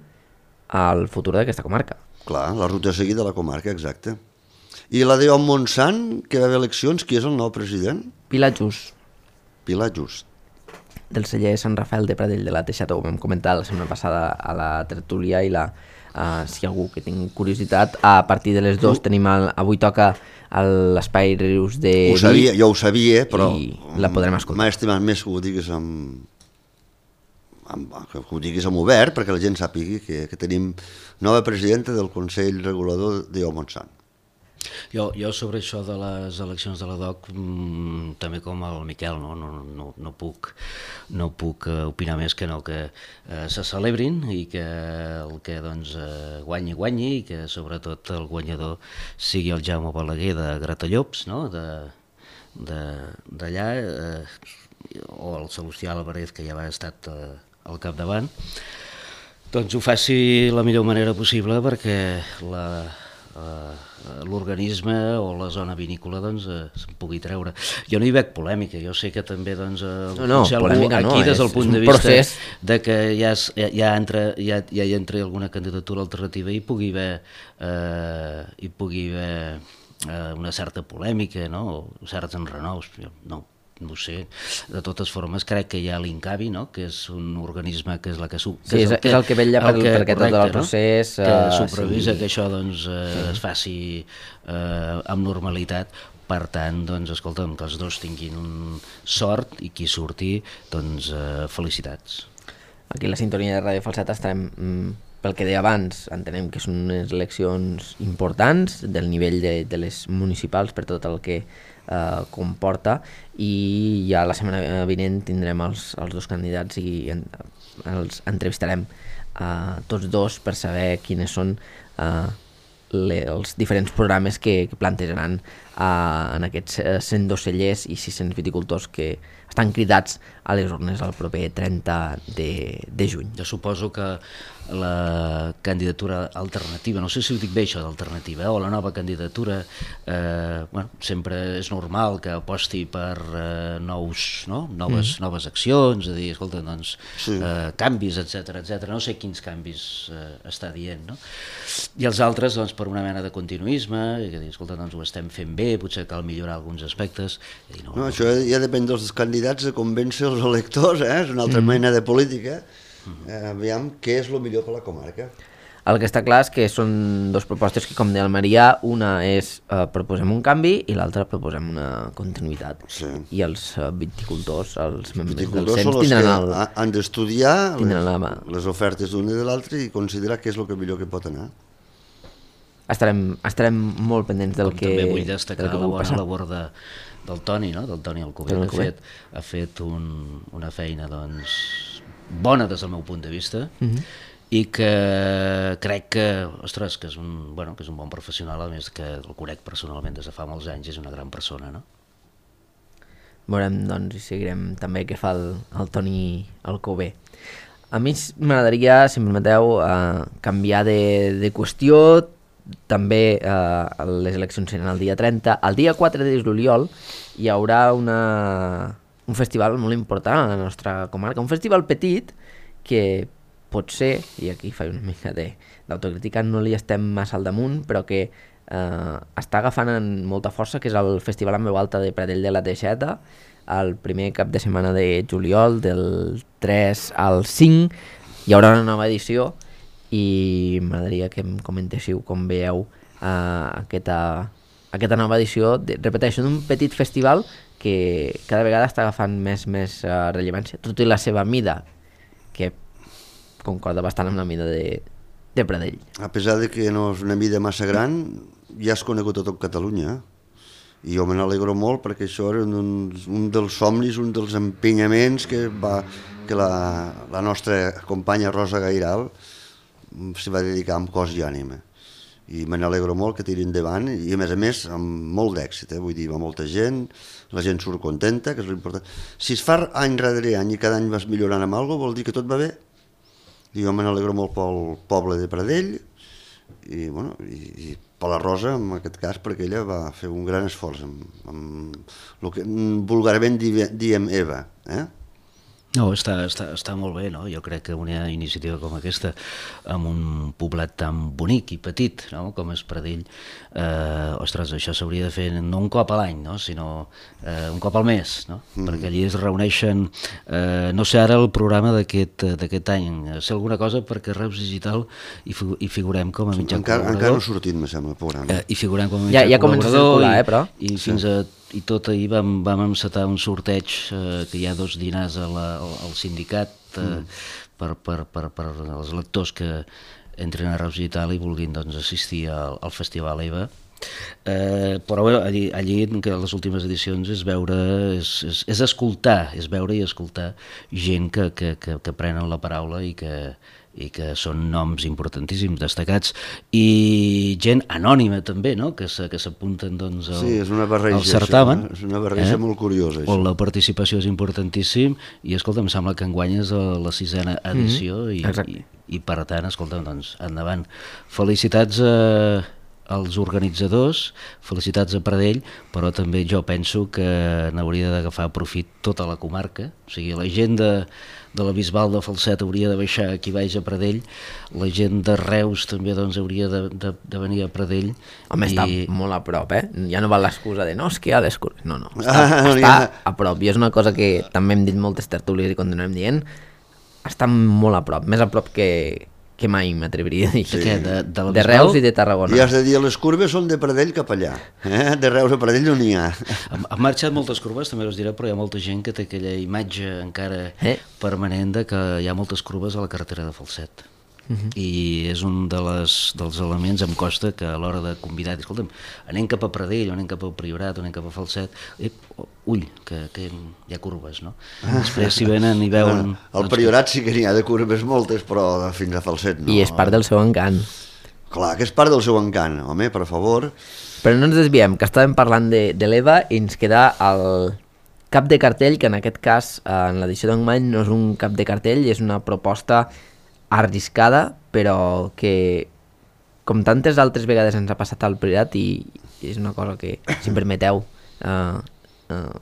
el futur d'aquesta comarca. Clar, la ruta a seguir de la comarca, exacte. I la DEO Montsant, que va haver eleccions, qui és el nou president? Pilar Just. Pilar Just. Del celler Sant Rafael de Pradell de la Teixata, ho vam comentar la setmana passada a la tertúlia i si algú que tingui curiositat, a partir de les 2 tenim avui toca l'espai Rius de Vi. Jo ho sabia, però la podrem escoltar. M'ha estimat més que ho diguis amb obert, perquè la gent sàpigui que tenim nova presidenta del Consell Regulador de Montsant. Jo sobre això de les eleccions de la DOC, també com el Miquel, no puc opinar més que no, que se celebrin i que el que doncs, guanyi i que sobretot el guanyador sigui el Jaume Balaguer de Gratallops, no? D'allà, o el Salustià Alvarez, que ja va estat al capdavant, doncs ho faci la millor manera possible perquè l'organisme o la zona vinícola doncs, se'n pugui treure. Jo no hi veig polèmica, jo sé que també doncs, polèmica aquí des del punt de vista de que ja hi entri alguna candidatura alternativa hi pugui haver una certa polèmica, no? O certs enrenous, no ho sé. De totes formes, crec que hi ha l'Incavi, no? Que és un organisme que és la que... és el que vetlla perquè tot el procés... Que supervisa que això doncs, es faci amb normalitat. Per tant, doncs, escolta'm, que els dos tinguin sort i qui surti, doncs, felicitats. Aquí a la sintonia de Ràdio Falset estarem... Pel que deia abans, entenem que són unes eleccions importants del nivell de les municipals per tot el que comporta, i ja la setmana vinent tindrem els dos candidats i els entrevistarem tots dos per saber quines són els diferents programes que plantejaran en aquests 102 cellers i 600 viticultors que estan cridats a les urnes el proper 30 de juny. Jo suposo que la candidatura alternativa, no sé si ho dic bé això d'alternativa, o la nova candidatura, sempre és normal que aposti per noves accions, és a dir, escolta, doncs, canvis, etc. No sé quins canvis està dient, no? I els altres, doncs, per una mena de continuisme, i que dir, escolta, doncs ho estem fent bé, potser cal millorar alguns aspectes. Això ja depèn dels candidats de convèncer els electors, és una altra mena de política. Aviam què és el millor per la comarca. El que està clar és que són dues propostes que, com deia el Marià, una és proposem un canvi i l'altra proposem una continuïtat. Sí. I els viticultors, els membres del CENS, tindran han d'estudiar les ofertes d'una i de l'altra i considerar què és el que millor que pot anar. Estarem molt pendents del que també vull destacar la bona labor del Toni, no? Del Toni Alcover, que ha fet una feina bona des del meu punt de vista, i que crec que, ostres, que és un bon professional, a més que el conec personalment des de fa molts anys, és una gran persona, no? Veurem, doncs, i seguirem també què fa el Toni Alcover. A mi m'agradaria, si em permeteu, canviar de qüestió. També les eleccions seran el dia 30. El dia 4 de juliol hi haurà un festival molt important a la nostra comarca, un festival petit que potser, i aquí faig una mica d'autocrítica, no li estem massa al damunt, però que està agafant molta força, que és el Festival en veu alta de Pradell de la Teixeta, el primer cap de setmana de juliol, del 3 al 5, hi haurà una nova edició i m'agradaria que em comentéssiu com veieu aquesta nova edició, repeteixo, d'un petit festival que cada vegada està agafant més rellevància, tot i la seva mida, que concorda bastant amb la mida de Pradell. A pesar de que no és una mida massa gran, ja és conegut a tot Catalunya, i jo me n'alegro molt perquè això era un dels somnis, un dels empenyaments que la nostra companya Rosa Gairal s'hi va dedicar amb cos i ànima, i me n'alegro molt que tiri endavant, i a més amb molt d'èxit, vull dir, va molta gent, la gent surt contenta, que és l'important. Si es fa any rere any i cada any vas millorant amb alguna cosa, vol dir que tot va bé, i jo me n'alegro molt pel poble de Pradell i per la Rosa en aquest cas, perquè ella va fer un gran esforç amb el que vulgarment diem Eva, No, està molt bé, no? Jo crec que una iniciativa com aquesta, amb un poblat tan bonic i petit, no? Com és Pradell, ostres, això s'hauria de fer no un cop a l'any, no? Sinó un cop al mes, no? Perquè allí es reuneixen, no sé ara el programa d'aquest any, sé alguna cosa perquè Reus Digital hi figurem com a mitjà col·laborador. Encara no ha sortit, me sembla, el programa. Hi figurem com a mitjà col·laborador. Ja comença a circular, però. I fins i tot ahir vam encetar un sorteig que hi ha 2 dinars al sindicat per als lectors que entren a Reus Digital i vulguin assistir al Festival EVA. Però allí que les últimes edicions és veure, és escoltar, és veure i escoltar gent que prenen la paraula i que són noms importantíssims, destacats, i gent anònima també, no? Que s'apunten al certamen. És una barreja molt curiosa. On la participació és importantíssim i, escolta, em sembla que enguany és la 6a edició i per tant, escolta, doncs, endavant. Felicitats als organitzadors, felicitats a Pradell, però també jo penso que n'hauria d'agafar profit tota la comarca, o sigui, la gent de la Bisbal de Falset hauria de baixar aquí baix a Pradell, la gent de Reus també hauria de venir a Pradell. Home, està molt a prop, ja no val l'excusa de no, és que hi ha l'excusa, no, està a prop, i és una cosa que també hem dit moltes tertúlies i continuem dient, està molt a prop, més a prop que mai m'atreviria a dir. De Reus i de Tarragona. I has de dir, les curves són de Pradell cap allà. De Reus a Pradell no n'hi ha. Han marxat moltes curves, també us diré, però hi ha molta gent que té aquella imatge encara permanent de que hi ha moltes curves a la carretera de Falset. I és un dels elements, em costa, que a l'hora de convidar, escolta'm, anem cap a Pradell, o anem cap al Priorat, o anem cap a Falset, ull, que hi ha curves, no? Després si venen i veuen... Al Priorat sí que n'hi ha de curves moltes, però fins a Falset no. I és part del seu encant. Clar, que és part del seu encant, home, per favor. Però no ens desviem, que estàvem parlant de l'EVA i ens queda el cap de cartell, que en aquest cas, en l'edició d'enguany, no és un cap de cartell, és una proposta arriscada, però que, com tantes altres vegades ens ha passat al Priorat, i és una cosa que, si em permeteu,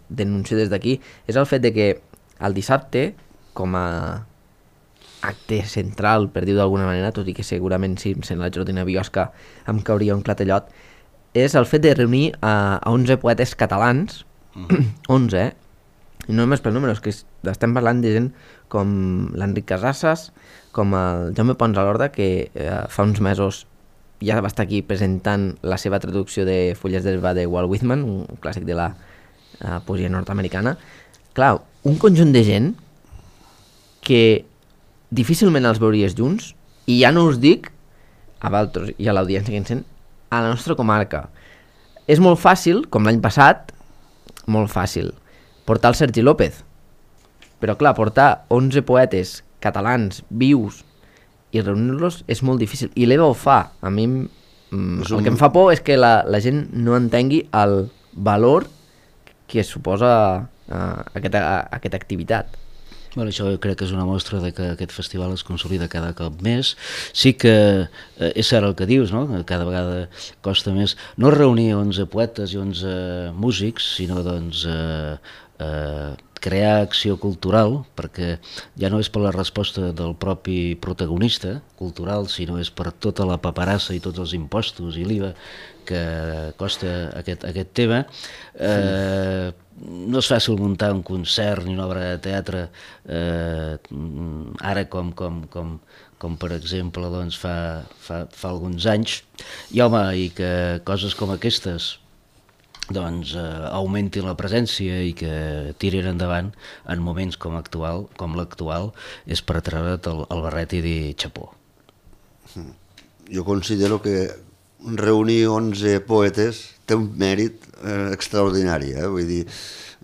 denuncio des d'aquí, és el fet de que el dissabte, com a acte central, per dir-ho d'alguna manera, tot i que segurament si sent la Jordina Biosca em cauria un clatellot, és el fet de reunir a 11 poetes catalans, 11, i no només pel número, és que estem parlant de gent com l'Enric Casasses, com el Jaume Pons a l'Horda, que fa uns mesos ja va estar aquí presentant la seva traducció de Fulles d'herba de Walt Whitman, un clàssic de la poesia nord-americana. Clar, un conjunt de gent que difícilment els veuries junts, i ja no us dic a Valtros i a l'audiència que ens sent, a la nostra comarca. És molt fàcil, com l'any passat, molt fàcil, portar el Sergi López. Però clar, portar 11 poetes catalans vius i reunir-los és molt difícil. I l'Eva ho fa. A mi el que em fa por és que la gent no entengui el valor que suposa aquesta activitat. Bueno, això crec que és una mostra de que aquest festival es consolida cada cop més. Sí que és cert el que dius, no? Cada vegada costa més no reunir 11 poetes i 11 músics, sinó doncs crear acció cultural, perquè ja no és per la resposta del propi protagonista cultural, sinó és per tota la paperassa i tots els impostos i l'IVA que costa aquest tema. No és fàcil muntar un concert ni una obra de teatre ara com per exemple doncs, fa alguns anys, i home, i que coses com aquestes doncs augmentin la presència i que tirin endavant en moments com l'actual és per treure't el barret i dir xapó. Jo considero que reunir 11 poetes té un mèrit extraordinari, vull dir,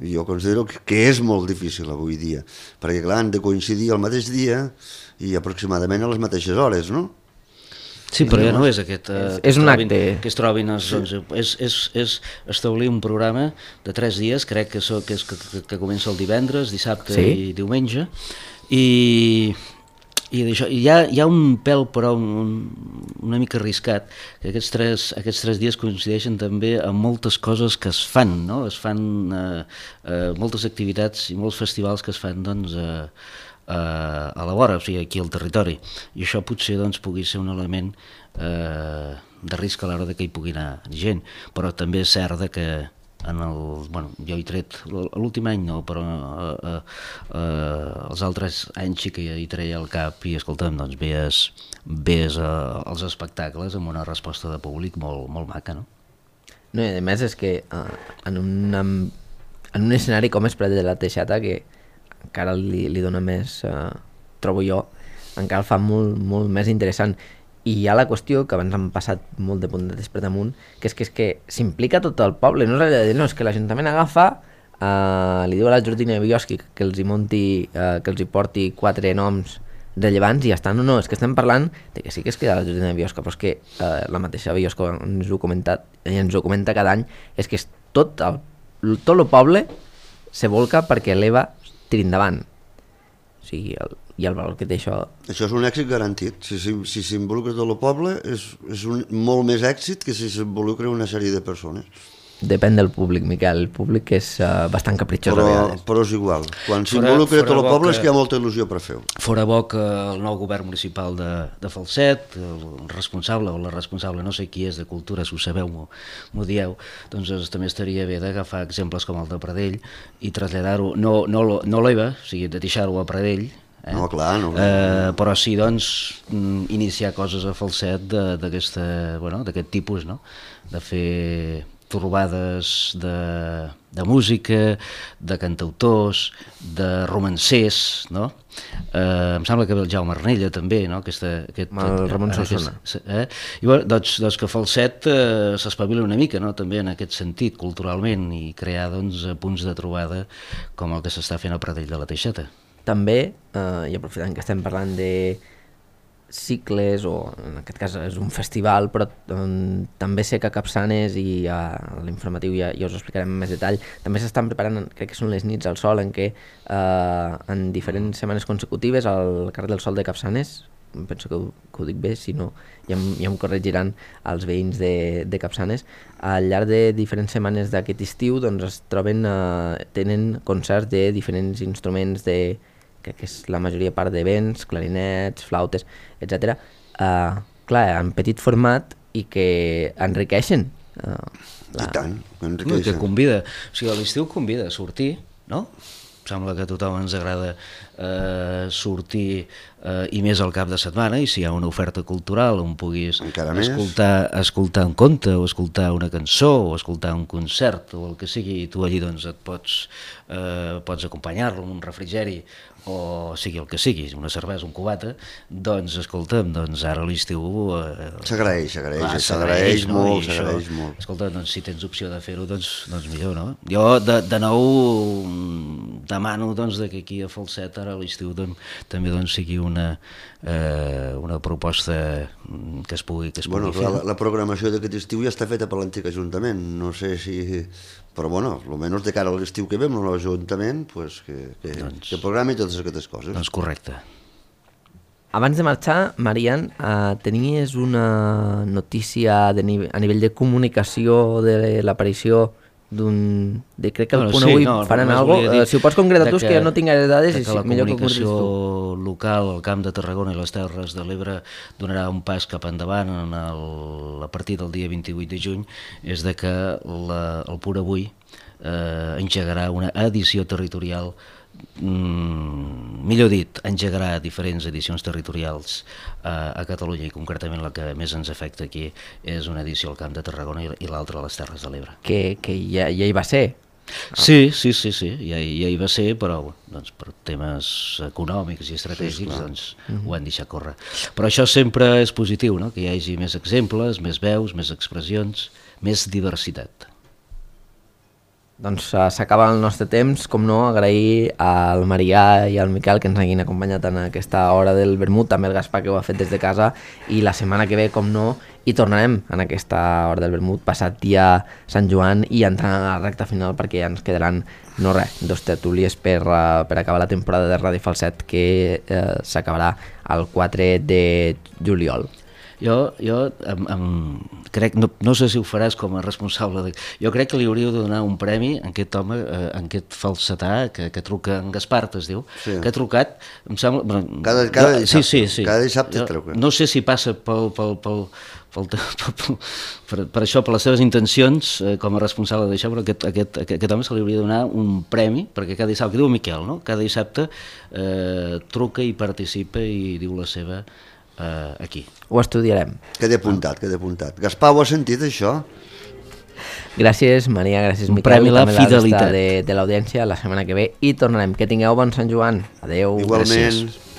jo considero que és molt difícil avui dia, perquè clar, han de coincidir al mateix dia i aproximadament a les mateixes hores, no? Sí, però ja no és aquest... És un acte. Que es trobin els 11. És establir un programa de 3 dies, crec que comença el divendres, dissabte i diumenge, i d'això, hi ha un pèl però una mica arriscat, que aquests tres dies coincideixen també amb moltes coses que es fan, no? Es fan moltes activitats i molts festivals que es fan doncs a la vora, o sigui, aquí al territori, i això potser doncs pugui ser un element de risc a l'hora que hi pugui anar gent, però també és cert que jo he tret l'últim any no, però els altres anys sí que hi treia el cap i escolta'm, doncs ves als espectacles amb una resposta de públic molt maca, no? No, i a més és que en un escenari com és Prat de la Teixeta, que encara li dona més, trobo jo, encara el fa molt més interessant. I hi ha la qüestió, que abans han passat molt de puntetes per damunt, que és que s'implica tot el poble. No és allò de dir, no, és que l'Ajuntament agafa, li diu a la Jordina Bioschi que els hi porti 4 noms rellevants i ja està. No, és que estem parlant de que sí que es queda la Jordina Biosca, però és que la mateixa Biosca ens ho comenta cada any, és que tot el poble se volca perquè l'EVA tiri endavant. O sigui, i el valor que té això... Això és un èxit garantit. Si s'involucra tot el poble és molt més èxit que si s'involucra una sèrie de persones. Depèn del públic, Miquel. El públic és bastant capritxós a vegades. Però és igual. Quan s'involucra tot el poble és que hi ha molta il·lusió per fer-ho. Fora bo que el nou govern municipal de Falset, el responsable o la responsable, no sé qui és de Cultura, si ho sabeu m'ho dieu, doncs també estaria bé d'agafar exemples com el de Pradell i traslladar-ho, no l'EVA, o sigui, de deixar-ho a Pradell, no, clar, no. Però sí, doncs, iniciar coses a Falset d'aquest tipus, no? De fer trobades de música, de cantautors, de romancers, no? Em sembla que ve el Jaume Arnella també, no? El Ramon Solsona. I doncs que Falset s'espavila una mica, no? També en aquest sentit, culturalment, i crear doncs, punts de trobada com el que s'està fent al Pradell de la Teixeta. També, i aprofitant que estem parlant de cicles, o en aquest cas és un festival, però també sé que a Capçanes i a l'informatiu ja us ho explicarem en més detall, també s'estan preparant, crec que són les nits al sol, en què en diferents setmanes consecutives al carrer del Sol de Capçanes, penso que ho dic bé, si no ja em corregiran els veïns de Capçanes, al llarg de diferents setmanes d'aquest estiu doncs es troben, tenen concerts de diferents instruments, crec que és la majoria part de vents, clarinets, flautes, etc. Clar, en petit format i que enriqueixen. I tant, que convida, o sigui, a l'estiu convida a sortir, no? Sembla que a tothom ens agrada sortir i més al cap de setmana, i si hi ha una oferta cultural on puguis escoltar un conte o escoltar una cançó o escoltar un concert o el que sigui, i tu allí doncs et pots acompanyar-lo amb un refrigeri o sigui el que sigui, una cervesa, un cubata, doncs escolta'm, doncs ara a l'estiu s'agraeix molt. Escolta, doncs si tens opció de fer-ho, doncs millor, no? Jo de nou demano doncs que aquí a Falset ara a l'estiu també sigui una proposta que es pugui fer. La programació d'aquest estiu ja està feta per l'antic Ajuntament, no sé si... Però bueno, almenys de cara a l'estiu que ve amb l'Ajuntament, que programi totes aquestes coses. Doncs correcte. Abans de marxar, Marian, tenies una notícia a nivell de comunicació de l'aparició crec que al punt avui faran alguna cosa. Si ho pots concretar tu, és que jo no tinc gaire dades, i millor que ho concretis tu. La comunicació local, el Camp de Tarragona i les Terres de l'Ebre donarà un pas cap endavant a partir del dia 28 de juny, és de que el Punt Avui engegarà una edició territorial, millor dit, engegarà diferents edicions territorials a Catalunya, i concretament la que més ens afecta aquí és una edició al Camp de Tarragona i l'altra a les Terres de l'Ebre. Que ja hi va ser. Sí, ja hi va ser, però doncs, per temes econòmics i estratègics doncs, ho han deixat córrer. Però això sempre és positiu, no? Que hi hagi més exemples, més veus, més expressions, més diversitat. Doncs s'acaba el nostre temps, com no, agrair al Marià i al Miquel que ens hagin acompanyat en aquesta hora del vermut, també el Gaspar que ho ha fet des de casa, i la setmana que ve, com no, hi tornarem en aquesta hora del vermut, passat dia Sant Joan, i entrant a la recta final, perquè ja ens quedaran, no res, 2 tertúlies per acabar la temporada de Ràdio Falset, que s'acabarà el 4 de juliol. Jo crec, no sé si ho faràs com a responsable, jo crec que li hauríeu de donar un premi a aquest home, a aquest falsetà que truca, en Gaspar es diu, que ha trucat, em sembla... Cada dissabte truca. No sé si passa per això, per les seves intencions com a responsable d'això, però aquest home se li hauria de donar un premi, perquè cada dissabte, que diu Miquel, no? Cada dissabte truca i participa i diu la seva aquí. Ho estudiarem. Queda apuntat. Gaspar, ho has sentit, això? Gràcies, Maria, gràcies, Miquel, i també la resta de l'audiència. La setmana que ve hi tornarem. Que tingueu bon Sant Joan. Adeu. Igualment. Gràcies.